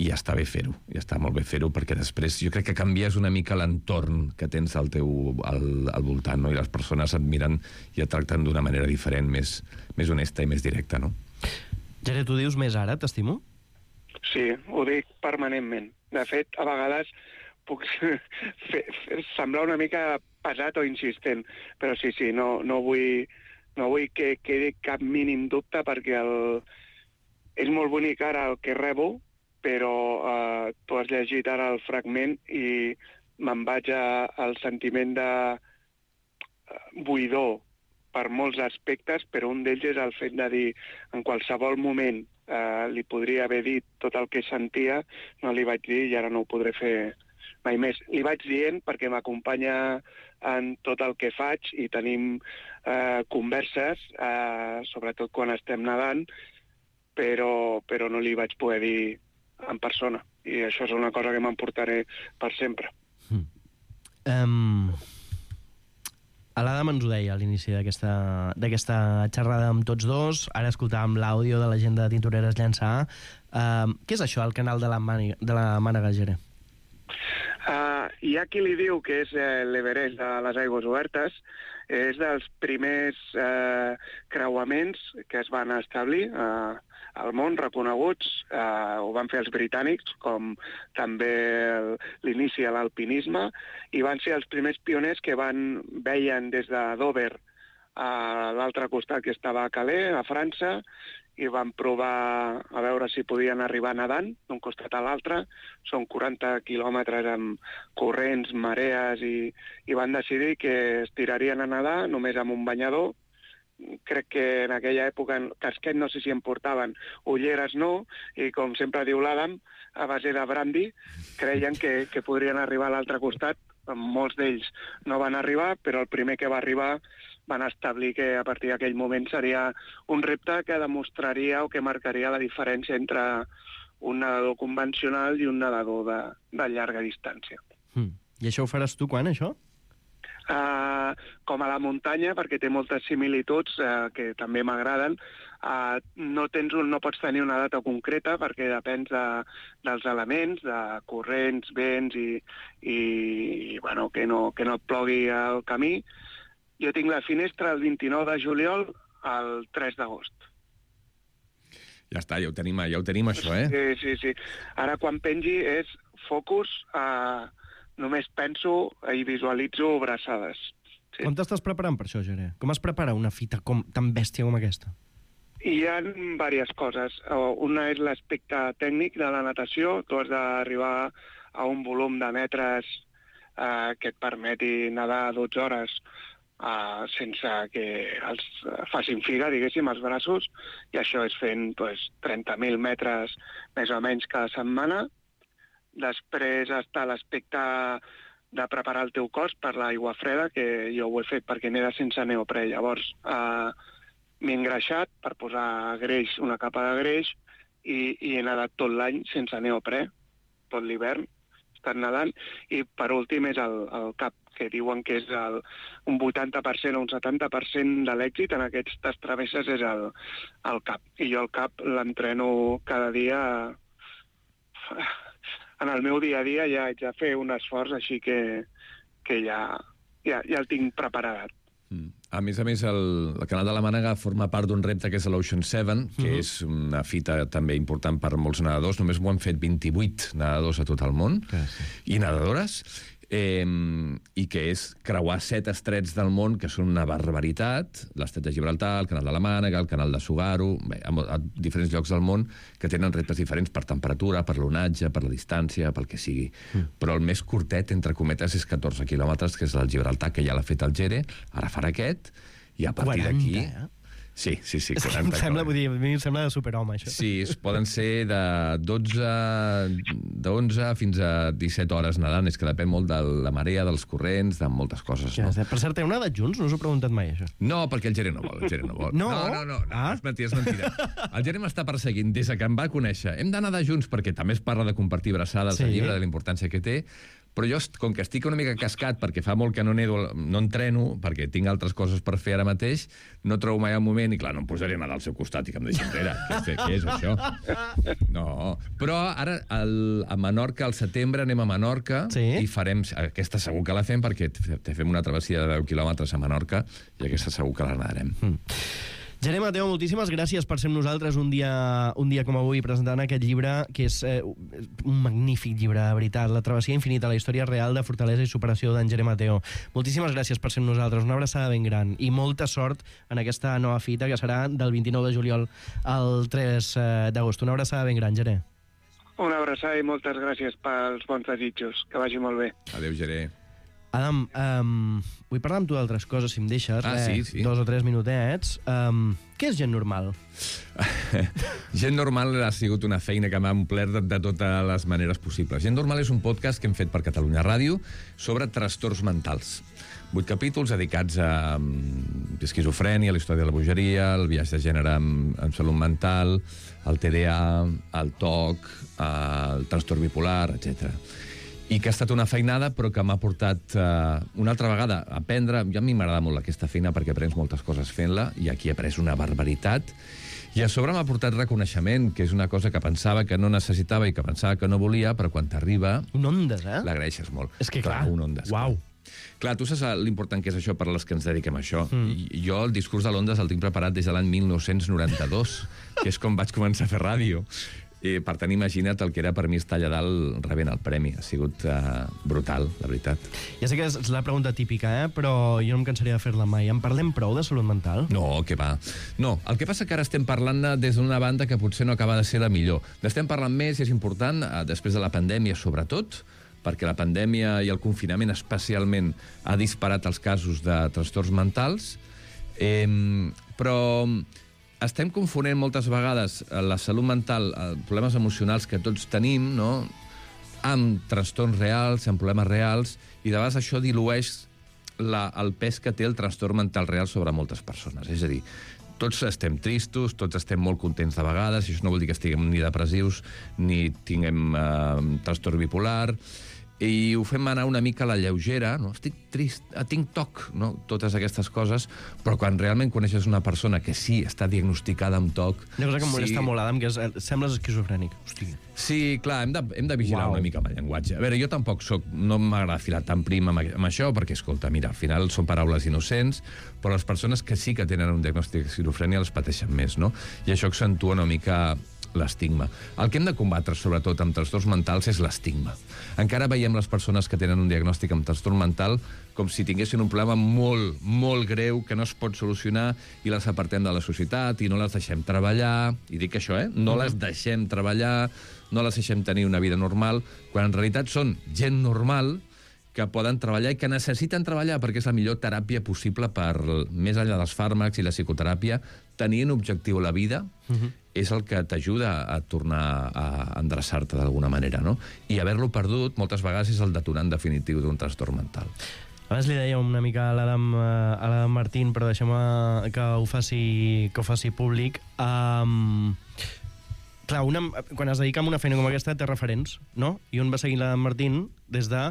I ja està bé fer-ho, ja està molt bé fer-ho, perquè després jo crec que canvies una mica l'entorn que tens al voltant, no? I les persones et miren i et tracten d'una manera diferent, més honesta i més directa, no? Geré, tu dius més ara, t'estimo? Sí, ho dic permanentment. De fet, a vegades puc semblar una mica pesat o insistent, però sí, no vull que quedi cap mínim dubte, perquè és molt bonic ara el que rebo, però tu has llegit ara el fragment i me'n vaig al sentiment de buidor per molts aspectes, però un d'ells és el fet de dir, en qualsevol moment li podria haver dit tot el que sentia, no li vaig dir i ara no ho podré fer mai més. Li vaig dient perquè m'acompanya en tot el que faig i tenim converses, sobretot quan estem nedant, però no li vaig poder dir en persona, i això és una cosa que m'emportaré per sempre. L'Adam ens ho deia a l'inici d'aquesta xerrada amb tots dos. Ara escoltàvem l'àudio de la gent de Tintoreres Llançà. Què és això, el canal de la Mànega, Geré? Hi ha qui li diu que és l'Everest de les aigües obertes. És dels primers creuaments que es van establir al món, reconeguts. Ho van fer els britànics, com també l'inici de l'alpinisme, i van ser els primers pioners que veien des de Dover a l'altre costat, que estava a Calais, a França, i van provar a veure si podien arribar nedant d'un costat a l'altre. Són 40 quilòmetres amb corrents, marees, i van decidir que es tirarien a nedar només amb un banyador. Crec que en aquella època casquet no sé si en portaven, ulleres no, i com sempre diu l'Adam, a base de brandy, creien que podrien arribar a l'altre costat. Molts d'ells no van arribar, però el primer que va arribar van establir que a partir d'aquell moment seria un repte que demostraria o que marcaria la diferència entre un nedador convencional i un nedador de llarga distància. I això ho faràs tu quan, això? Com a la muntanya, perquè té moltes similituds que també m'agraden. No pots tenir una data concreta perquè depèn dels elements, de corrents, vents i bueno, que no et plogui el camí. Jo tinc la finestra el 29 de juliol al 3 d'agost. Ja està, ja ho tenim això, eh? Sí. Ara quan pengi és focus, només penso i visualitzo braçades. Sí. Com t'estàs preparant per això, Geré? Com es prepara una fita tan bèstia com aquesta? Hi ha diverses coses. Una és l'aspecte tècnic de la natació. Tu has d'arribar a un volum de metres que et permeti nedar 12 hores sense que els facin figa, diguéssim, els braços, i això és fent 30.000 metres més o menys cada setmana. Després està l'aspecte de preparar el teu cos per l'aigua freda, que jo ho he fet perquè neda sense neoprè. Llavors m'he engreixat per posar greix, una capa de greix, i he nedat tot l'any sense neoprè, tot l'hivern, he estat nedant. I per últim és el cap, que diuen que és un 80% o un 70% de l'èxit en aquestes travesses és el cap. I jo el cap l'entreno cada dia. En el meu dia a dia ja haig de fer un esforç, així que ja el tinc preparat. A més, el Canal de la Mànega forma part d'un repte que és l'Ocean 7, que és una fita també important per molts nedadors. Només ho han fet 28 nedadors a tot el món, i nedadores, i que és creuar 7 estrets del món, que són una barbaritat: l'estret de Gibraltar, el Canal de la Mànega, el Canal de Tsugaru, a diferents llocs del món que tenen reptes diferents per temperatura, per l'onatge, per la distància, pel que sigui. Però el més curtet, entre cometes, és 14 quilòmetres, que és el Gibraltar, que ja l'ha fet el Gere, ara farà aquest, i a partir d'aquí... 40, Sí, 40. És que em sembla, a mi em sembla de superhome, això. Sí, poden ser de 11 fins a 17 hores nedant. És que depèn molt de la marea, dels corrents, de moltes coses. Ja, per cert, heu nedat junts? No us ho he preguntat mai, això. No, perquè el Gere no vol. No? És mentida. El Gere m'està perseguint des que em va conèixer. Hem de nedar junts, perquè també es parla de compartir braçades al llibre, de la importància que té. Però jo, com que estic una mica cascat, perquè fa molt que no entreno, perquè tinc altres coses per fer ara mateix, no trobo mai el moment, i clar, no em posaré a nedar al seu costat i que em deixi enrere. Què és això? No. Però ara, a Menorca, al setembre, anem a Menorca, i farem... Aquesta segur que la fem, perquè fem una travessia de 10 quilòmetres a Menorca, i aquesta segur que la nedarem. Geré Mateo, moltíssimes gràcies per ser amb nosaltres un dia com avui presentant aquest llibre, que és un magnífic llibre, de veritat, La travessia infinita, la història real de fortalesa i superació d'en Geré Mateo. Moltíssimes gràcies per ser amb nosaltres, una abraçada ben gran i molta sort en aquesta nova fita que serà del 29 de juliol al 3 d'agost. Una abraçada ben gran, Geré. Una abraçada i moltes gràcies pels bons desitjos. Que vagi molt bé. Adéu, Geré. Adam, vull parlar amb tu d'altres coses, si em deixes. Sí. 2 o 3 minutets. Què és Gent Normal? Gent Normal ha sigut una feina que m'ha omplert de totes les maneres possibles. Gent Normal és un podcast que hem fet per Catalunya Ràdio sobre trastorns mentals. 8 capítols dedicats a esquizofrènia, la història de la bogeria, el viatge de gènere amb salut mental, el TDA, el TOC, el trastorn bipolar, etc. I que ha estat una feinada, però que m'ha portat una altra vegada a aprendre. A mi m'agrada molt aquesta feina perquè aprens moltes coses fent-la, i aquí he après una barbaritat. I a sobre m'ha portat reconeixement, que és una cosa que pensava que no necessitava i que pensava que no volia, però quan t'arriba... Un Ondas, l'agraeixes molt. És que clar, un Ondas. Uau. Clar, tu saps l'important que és això per a les que ens dediquem a això. Jo el discurs de Londres el tinc preparat des de l'any 1992, que és com vaig començar a fer ràdio. I, per tant, imagina't el que era per mi estar allà dalt rebent el premi. Ha sigut brutal, la veritat. Ja sé que és la pregunta típica, però jo no em cansaria de fer-la mai. En parlem prou de salut mental? No, què va. No, el que passa que ara estem parlant des d'una banda que potser no acaba de ser la millor. N'estem parlant més, i és important, després de la pandèmia sobretot, perquè la pandèmia i el confinament especialment ha disparat els casos de trastorns mentals, però estem confonent moltes vegades la salut mental, problemes emocionals que tots tenim, no?, amb trastorns reals, amb problemes reals, i de vegades això dilueix el pes que té el trastorn mental real sobre moltes persones. És a dir, tots estem tristos, tots estem molt contents de vegades, i això no vol dir que estiguem ni depressius ni tinguem trastorn bipolar, i ho fem anar una mica a la lleugera, no? Estic trist, tinc TOC, no? Totes aquestes coses, però quan realment coneixes una persona que sí està diagnosticada amb TOC... Una cosa que em molesta molt, Adam, que sembles esquizofrènic. Hòstia. Sí, clar, hem de vigilar una mica amb el llenguatge. A veure, jo tampoc no m'agrada filar tan prim amb això, perquè, escolta, mira, al final són paraules innocents, però les persones que sí que tenen un diagnòstic d'esquizofrènia les pateixen més, no? I això accentua una mica l'estigma. El que hem de combatre, sobretot, amb trastorns mentals és l'estigma. Encara veiem les persones que tenen un diagnòstic amb trastorn mental com si tinguessin un problema molt, molt greu que no es pot solucionar i les apartem de la societat i no les deixem treballar. I dic això, no les deixem treballar, no les deixem tenir una vida normal, quan en realitat són gent normal que poden treballar i que necessiten treballar perquè és la millor teràpia possible per, més enllà dels fàrmacs i la psicoteràpia, tenir un objectiu a la vida és el que t'ajuda a tornar a endreçar-te d'alguna manera, no? I haver-lo perdut moltes vegades és el detonant definitiu d'un trastorn mental. Abans li deia una mica a l'Adam Martín, però deixem que ho faci públic. Clar, quan es dedica a una feina com aquesta té referents, no? I un va seguir l'Adam Martín des de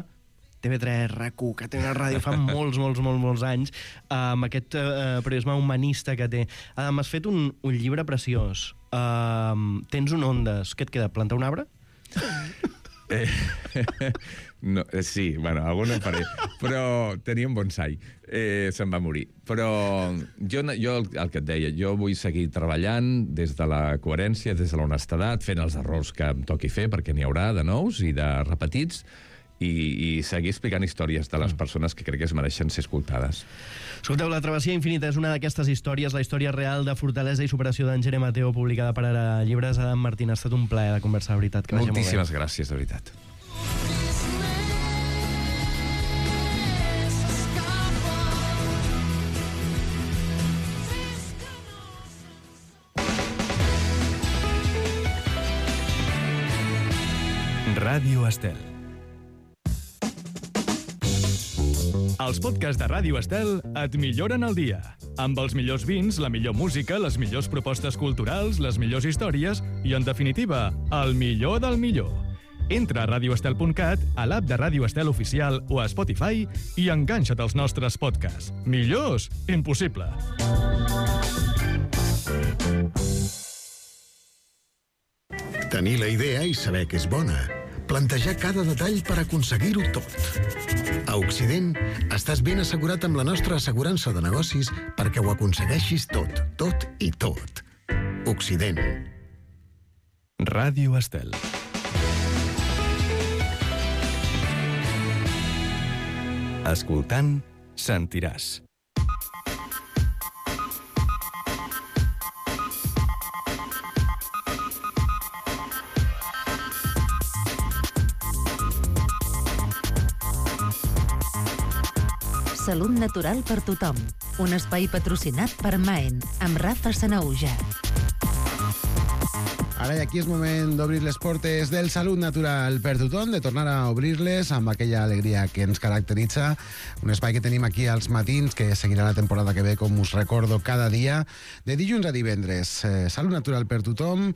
TV3, RAC1, que té una ràdio fa molts anys, amb aquest periodisme humanista que té. Adam, has fet un llibre preciós. Tens un Ondas. Què et queda, plantar un arbre? No, sí, bueno, algun en faré. Però tenia un bonsai. Se'n va morir. Però jo el que et deia, jo vull seguir treballant des de la coherència, des de l'honestedat, fent els errors que em toqui fer, perquè n'hi haurà de nous i de repetits, i seguir explicant històries de les persones que crec que es mereixen ser escoltades. Escolteu, La travessia infinita és una d'aquestes històries, la història real de fortalesa i superació d'en Jere Mateo, publicada per Ara Llibres. Adam Martín, ha estat un plaer de conversar, de veritat. Moltíssimes gràcies, de veritat. Ràdio Estel. Els podcasts de Ràdio Estel et milloren el dia. Amb els millors vins, la millor música, les millors propostes culturals, les millors històries i, en definitiva, el millor del millor. Entra a radioestel.cat, a l'app de Ràdio Estel Oficial o a Spotify i enganxa't als nostres podcasts. Millors? Impossible. Tenir la idea i saber que és bona. Plantejar cada detall per aconseguir-ho tot. A Occident, estàs ben assegurat amb la nostra assegurança de negocis perquè ho aconsegueixis tot, tot i tot. Occident. Ràdio Estel. Escoltant, sentiràs. Salut natural per tothom. Un espai patrocinat per Maen, amb Rafa Sanaúja. Ara i aquí és moment d'obrir les portes del Salut Natural per tothom, de tornar a obrir-les amb aquella alegria que ens caracteritza. Un espai que tenim aquí als matins, que seguirà la temporada que ve, com us recordo, cada dia, de dilluns a divendres. Salut Natural per tothom,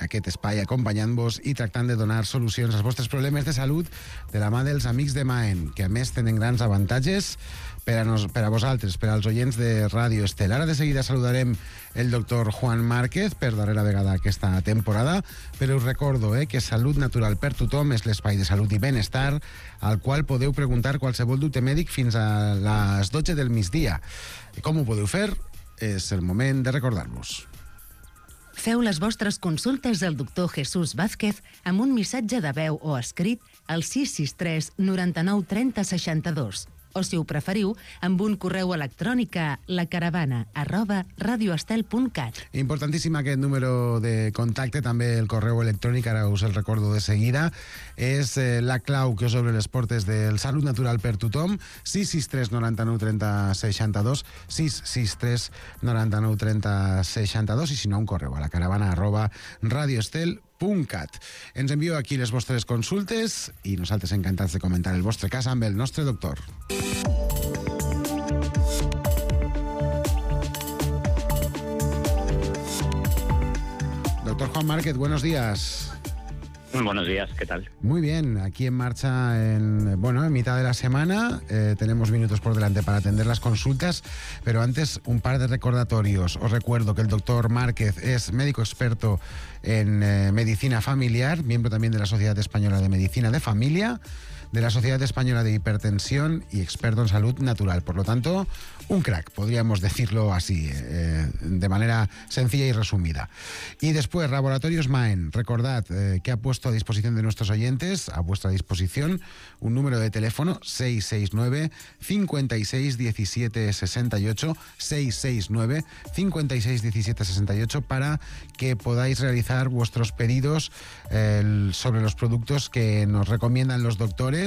aquest espai acompanyant-vos i tractant de donar solucions als vostres problemes de salut de la mà dels amics de Maen, que a més tenen grans avantatges per a vosaltres, per als oients de Ràdio Estel. Ara de seguida saludarem el doctor Juan Márquez per darrera vegada aquesta temporada, però us recordo que Salut Natural per Tothom és l'espai de salut i benestar al qual podeu preguntar qualsevol dubte mèdic fins a les 12 del migdia. Com ho podeu fer? És el moment de recordar-vos. Feu les vostres consultes al doctor Jesús Vázquez amb un missatge de veu o escrit al 663 99 30 62. O, si ho preferiu, amb un correu electrònic a lacaravana@radioestel.cat. Importantíssim aquest número de contacte, també el correu electrònic, ara us el recordo de seguida. És la clau que us obre les portes del Salut Natural per Tothom. 663 99 30 62, 663 99 30 62, i si no, un correu a lacaravana@radioestel.cat. Ens envieu aquí les vostres consultes i nosaltres encantats de comentar el vostre cas amb el nostre doctor. Doctor Juan Márquez, buenos días. Buenos días, ¿qué tal? Muy bien, aquí en marcha en mitad de la semana. Tenemos minutos por delante para atender las consultas, pero antes un par de recordatorios. Os recuerdo que el doctor Márquez es médico experto en medicina familiar, miembro también de la Sociedad Española de Medicina de Familia, de la Sociedad Española de Hipertensión y experto en salud natural. Por lo tanto, un crack, podríamos decirlo así, de manera sencilla y resumida. Y después, Laboratorios Maen. Recordad que ha puesto a disposición de nuestros oyentes, a vuestra disposición, un número de teléfono 669 56 17 68, 669 56 17 68, para que podáis realizar vuestros pedidos sobre los productos que nos recomiendan los doctores.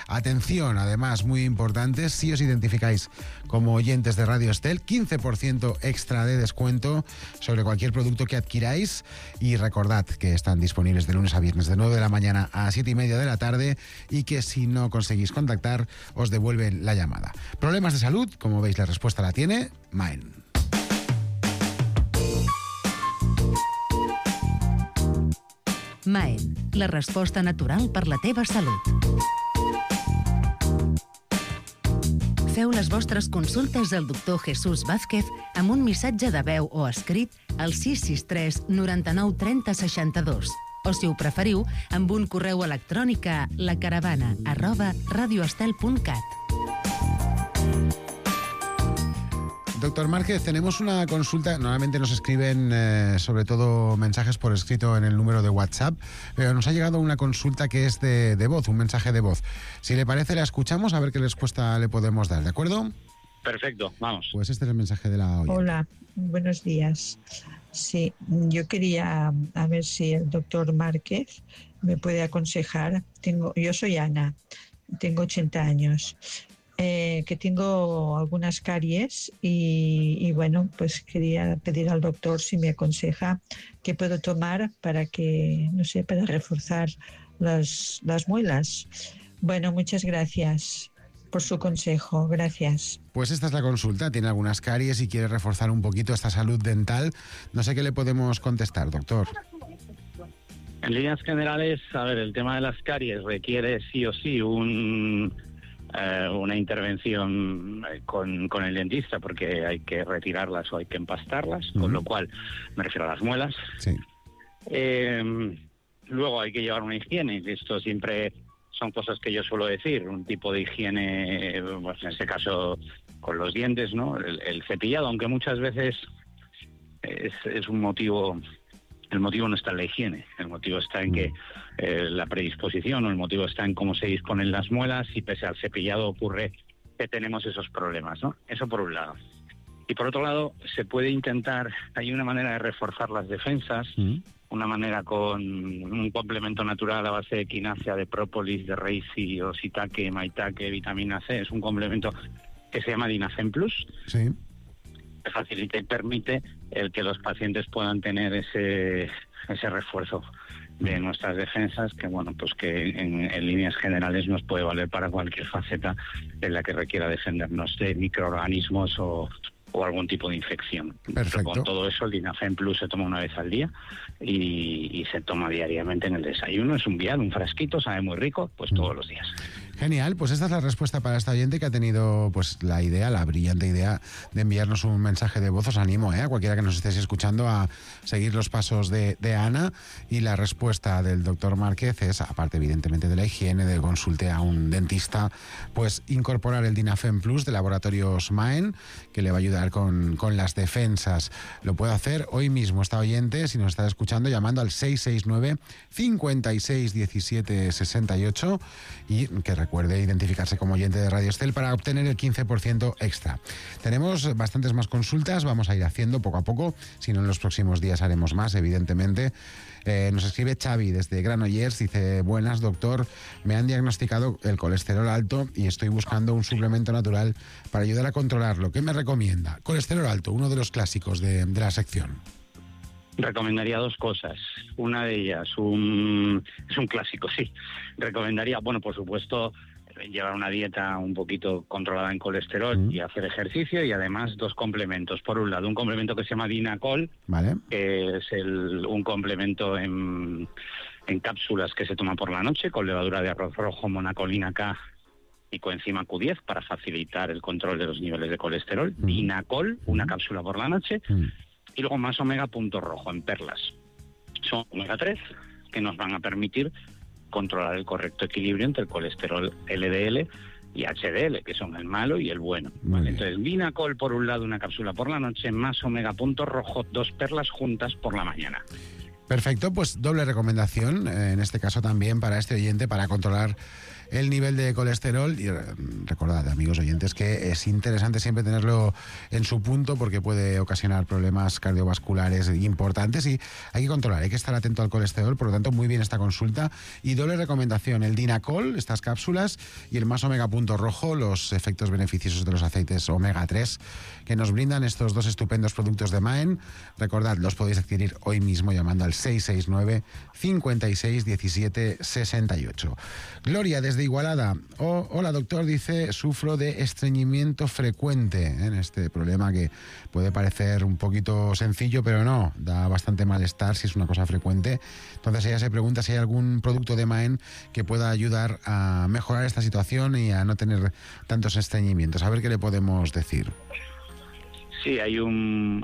Atención, además, muy importante, si os identificáis como oyentes de Radio Estel, 15% extra de descuento sobre cualquier producto que adquiráis, y recordad que están disponibles de lunes a viernes de 9 de la mañana a 7:30 de la tarde, y que si no conseguís contactar os devuelven la llamada. Problemas de salud, como veis, la respuesta la tiene Maen. Maen, la resposta natural per la teva salut. Feu les vostres consultes al doctor Jesús Vázquez amb un missatge de veu o escrit al 663 99 30 62. O, si ho preferiu, amb un correu electrònic a lacaravana@radioestel.cat. Doctor Márquez, tenemos una consulta. Normalmente nos escriben sobre todo mensajes por escrito en el número de WhatsApp, pero nos ha llegado una consulta que es de voz, un mensaje de voz. Si le parece, la escuchamos a ver qué respuesta le podemos dar, ¿de acuerdo? Perfecto, vamos. Pues este es el mensaje de la oyente. Hola, buenos días. Sí, yo quería a ver si el doctor Márquez me puede aconsejar. Yo soy Ana, tengo 80 años. Que tengo algunas caries y bueno, pues quería pedir al doctor si me aconseja qué puedo tomar para que, no sé, para reforzar las muelas. Bueno, muchas gracias por su consejo, gracias. Pues esta es la consulta, tiene algunas caries y quiere reforzar un poquito esta salud dental. No sé qué le podemos contestar, doctor. En líneas generales, a ver, el tema de las caries requiere sí o sí una intervención con el dentista, porque hay que retirarlas o hay que empastarlas, con lo cual me refiero a las muelas. Sí. Luego hay que llevar una higiene, esto siempre son cosas que yo suelo decir, un tipo de higiene, pues en este caso con los dientes, ¿no? El cepillado, aunque muchas veces es un motivo. El motivo no está en la higiene, el motivo está en que la predisposición, o el motivo está en cómo se disponen las muelas, y pese al cepillado ocurre que tenemos esos problemas, ¿no? Eso por un lado. Y por otro lado, se puede intentar, hay una manera de reforzar las defensas, una manera con un complemento natural a base de quinacea, de própolis, de reishi, shiitake, maitake, vitamina C. Es un complemento que se llama Dinacen Plus. Sí. Que facilita y permite el que los pacientes puedan tener ese refuerzo de nuestras defensas, que bueno, pues que en líneas generales nos puede valer para cualquier faceta en la que requiera defendernos de microorganismos o o algún tipo de infección. Perfecto. Pero con todo eso, el Dinafen Plus se toma una vez al día y se toma diariamente en el desayuno. Es un vial, un frasquito, sabe muy rico, pues todos los días. Genial, pues esta es la respuesta para esta oyente que ha tenido pues la brillante idea de enviarnos un mensaje de voz. Os animo a cualquiera que nos estéis escuchando a seguir los pasos de Ana, y la respuesta del doctor Márquez es, aparte evidentemente de la higiene, de consulte a un dentista, pues incorporar el Dinafen Plus de Laboratorios Maen, que le va a ayudar con las defensas. Lo puede hacer hoy mismo esta oyente, si nos está escuchando, llamando al 669 56 17 68, y que recuerde identificarse como oyente de Radio Estel para obtener el 15% extra. Tenemos bastantes más consultas, vamos a ir haciendo poco a poco, si no en los próximos días haremos más, evidentemente. Nos escribe Xavi desde Granollers, dice: buenas, doctor, me han diagnosticado el colesterol alto y estoy buscando un suplemento natural para ayudar a controlarlo. ¿Qué me recomienda? Colesterol alto, uno de los clásicos de la sección. Recomendaría dos cosas. Una de ellas, es un clásico, sí. Recomendaría, bueno, por supuesto, llevar una dieta un poquito controlada en colesterol y hacer ejercicio, y además dos complementos. Por un lado, un complemento que se llama Dinacol, ¿vale?, que es un complemento en cápsulas que se toma por la noche con levadura de arroz rojo, monacolina K y coenzima Q10 para facilitar el control de los niveles de colesterol. Dinacol, una cápsula por la noche. Y luego más omega punto rojo en perlas. Son omega 3 que nos van a permitir controlar el correcto equilibrio entre el colesterol LDL y HDL, que son el malo y el bueno. ¿Vale? Entonces, Dinacol por un lado, una cápsula por la noche, más omega punto rojo, 2 perlas juntas por la mañana. Perfecto, pues doble recomendación, en este caso también para este oyente, para controlar el nivel de colesterol. Y recordad, amigos oyentes, que es interesante siempre tenerlo en su punto, porque puede ocasionar problemas cardiovasculares importantes y hay que controlar, hay que estar atento al colesterol. Por lo tanto, muy bien esta consulta. Y doble recomendación, el Dinacol, estas cápsulas, y el más omega punto rojo, los efectos beneficiosos de los aceites omega 3 que nos brindan estos dos estupendos productos de Maen. Recordad, los podéis adquirir hoy mismo llamando al 669 56 17 68. Gloria desde Igualada: hola doctor, dice, sufro de estreñimiento frecuente, en este problema que puede parecer un poquito sencillo, pero no, da bastante malestar si es una cosa frecuente. Entonces ella se pregunta si hay algún producto de Maen que pueda ayudar a mejorar esta situación y a no tener tantos estreñimientos. A ver qué le podemos decir. Sí, hay un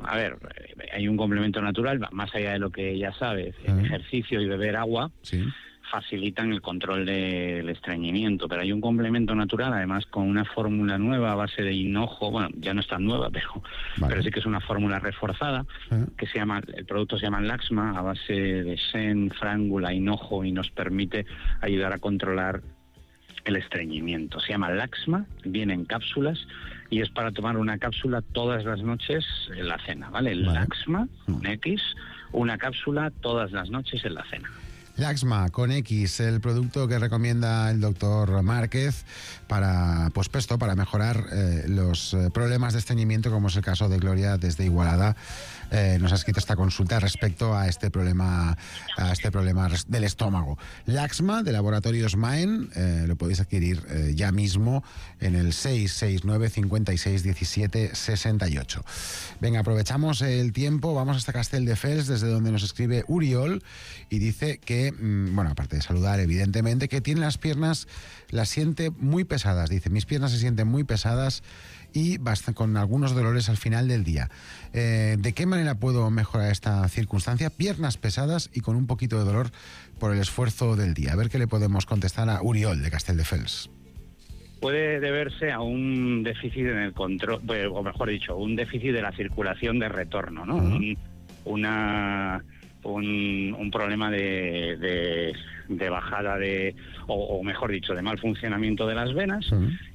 complemento natural, más allá de lo que ella sabe, el ejercicio y beber agua. Sí. Facilitan el control del estreñimiento, pero hay un complemento natural, además con una fórmula nueva a base de hinojo. Bueno, ya no es tan nueva, pero sí que es una fórmula reforzada, que el producto se llama Laxma, a base de sen, frángula, hinojo, y nos permite ayudar a controlar el estreñimiento. Se llama Laxma, viene en cápsulas y es para tomar una cápsula todas las noches en la cena, ¿vale? Laxma, con X, una cápsula todas las noches en la cena. Laxma con X, el producto que recomienda el doctor Márquez para mejorar los problemas de estreñimiento, como es el caso de Gloria desde Igualada. Nos ha escrito esta consulta respecto a este problema del estómago. Laxma de Laboratorios Maen, lo podéis adquirir ya mismo en el 669 56 17 68. Venga, aprovechamos el tiempo, vamos hasta Castelldefels, desde donde nos escribe Uriol, y dice que, aparte de saludar, evidentemente, que tiene las piernas, las siente muy pesadas. Dice, mis piernas se sienten muy pesadas y con algunos dolores al final del día. ¿De qué manera puedo mejorar esta circunstancia? Piernas pesadas y con un poquito de dolor por el esfuerzo del día. A ver qué le podemos contestar a Uriol de Castelldefels. Puede deberse a un déficit en el control, o mejor dicho, un déficit de la circulación de retorno, ¿no? Un problema de bajada o mejor dicho, de mal funcionamiento de las venas,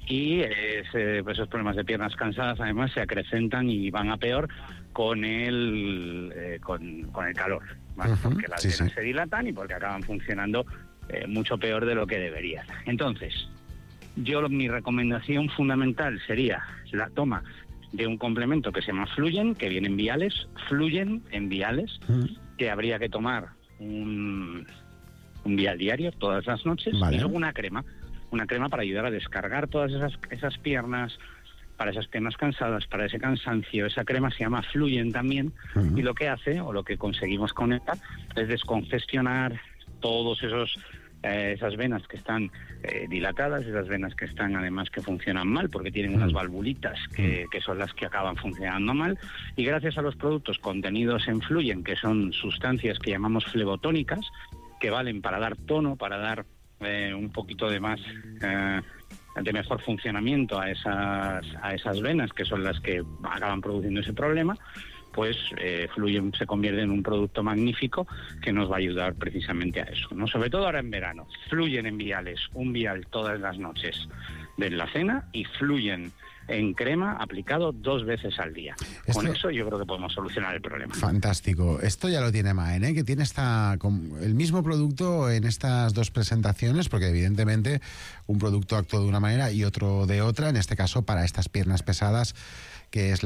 y esos problemas de piernas cansadas además se acrecentan y van a peor con el calor, ¿vale? Porque las venas se dilatan y porque acaban funcionando mucho peor de lo que deberían. Entonces, mi recomendación fundamental sería la toma de un complemento que se llama Fluyen, que viene en viales, que habría que tomar un vial diario todas las noches, y luego una crema para ayudar a descargar todas esas piernas, para esas piernas cansadas, para ese cansancio. Esa crema se llama Fluyen también, y lo que hace, o lo que conseguimos con ella, es descongestionar todos esas venas que están dilatadas, esas venas que están además que funcionan mal porque tienen unas valvulitas que son las que acaban funcionando mal, y gracias a los productos contenidos en Fluyen, que son sustancias que llamamos flebotónicas, que valen para dar tono, para dar un poquito de más de mejor funcionamiento a esas venas, que son las que acaban produciendo ese problema, pues Fluyen se convierte en un producto magnífico que nos va a ayudar precisamente a eso, ¿no? Sobre todo ahora en verano. Fluyen en viales, un vial todas las noches de la cena, y Fluyen en crema aplicado 2 veces al día. Con eso yo creo que podemos solucionar el problema. Fantástico. Esto ya lo tiene Maen, que tiene el mismo producto en estas 2 presentaciones, porque evidentemente un producto actúa de una manera y otro de otra, en este caso para estas piernas pesadas, que es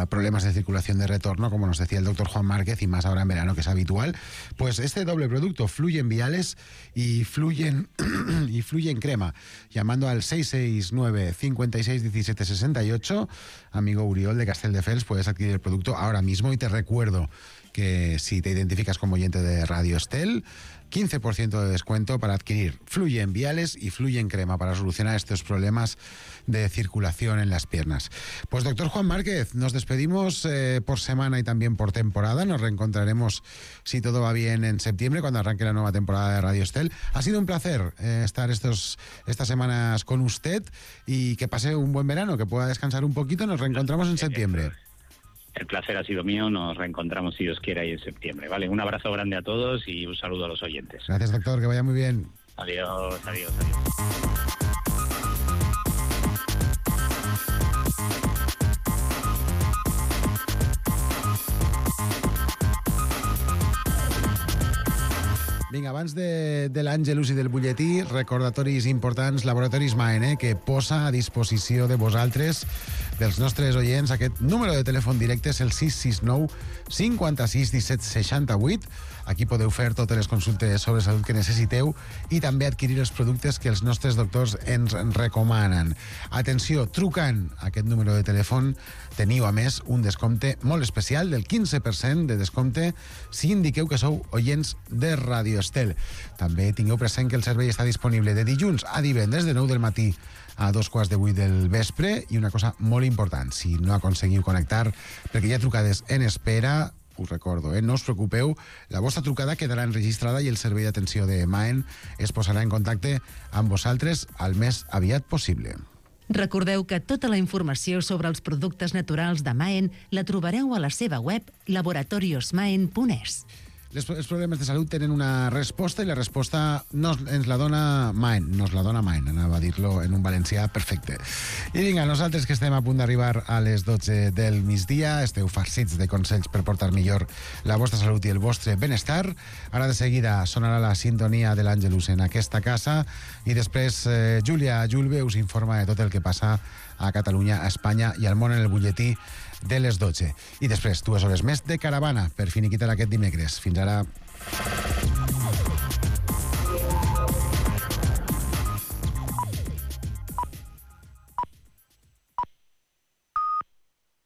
problemas de circulación de retorno, como nos decía el doctor Juan Márquez, y más ahora en verano, que es habitual. Pues este doble producto, Fluyen viales y Fluyen crema, llamando al 669 56 17 68, amigo Uriol de Castelldefels, puedes adquirir el producto ahora mismo, y te recuerdo que si te identificas como oyente de Radio Estel, 15% de descuento para adquirir Fluyen viales y Fluyen crema para solucionar estos problemas de circulación en las piernas. Pues doctor Juan Márquez, nos despedimos por semana y también por temporada. Nos reencontraremos, si todo va bien, en septiembre, cuando arranque la nueva temporada de Radio Estel. Ha sido un placer estar estas semanas con usted, y que pase un buen verano, que pueda descansar un poquito. Nos reencontramos en septiembre. El placer ha sido mío, nos reencontramos si Dios quiere ahí en septiembre. Vale, un abrazo grande a todos y un saludo a los oyentes. Gracias, doctor, que vaya muy bien. Adiós. Vinga, abans de l'Àngelus i del butlletí, recordatoris importants, Laboratoris Maen, que posa a disposició de vosaltres, dels nostres oients, aquest número de telèfon directe, és el 669 56 17 68. Aquí podeu fer totes les consultes sobre salut que necessiteu i també adquirir els productes que els nostres doctors ens recomanen. Atenció, trucant a aquest número de telèfon teniu, a més, un descompte molt especial del 15% de descompte si indiqueu que sou oients de Radio Estel. També tingueu present que el servei està disponible de dilluns a divendres, de 9 del matí a 7:15 del vespre. I una cosa molt important, si no aconseguiu connectar perquè hi ha trucades en espera, us recordo, no us preocupeu, la vostra trucada quedarà enregistrada i el servei d'atenció de Maen es posarà en contacte amb vosaltres al més aviat possible. Recordeu que tota la informació sobre els productes naturals de Maen la trobareu a la seva web laboratoriosmaen.es. Els problemes de salut tenen una resposta, i la resposta ens la dona Maen, anava a dir-lo en un valencià perfecte. I vinga, nosaltres que estem a punt d'arribar a les 12 del migdia, esteu farcits de consells per portar millor la vostra salut i el vostre benestar. Ara de seguida sonarà la sintonia de l'Àngelus en aquesta casa, i després Júlia Julve us informa de tot el que passa a Catalunya, a Espanya i al món en el butlletí de les 12. I després 2 hores més de caravana per finiquitar aquest dimecres. Fins ara.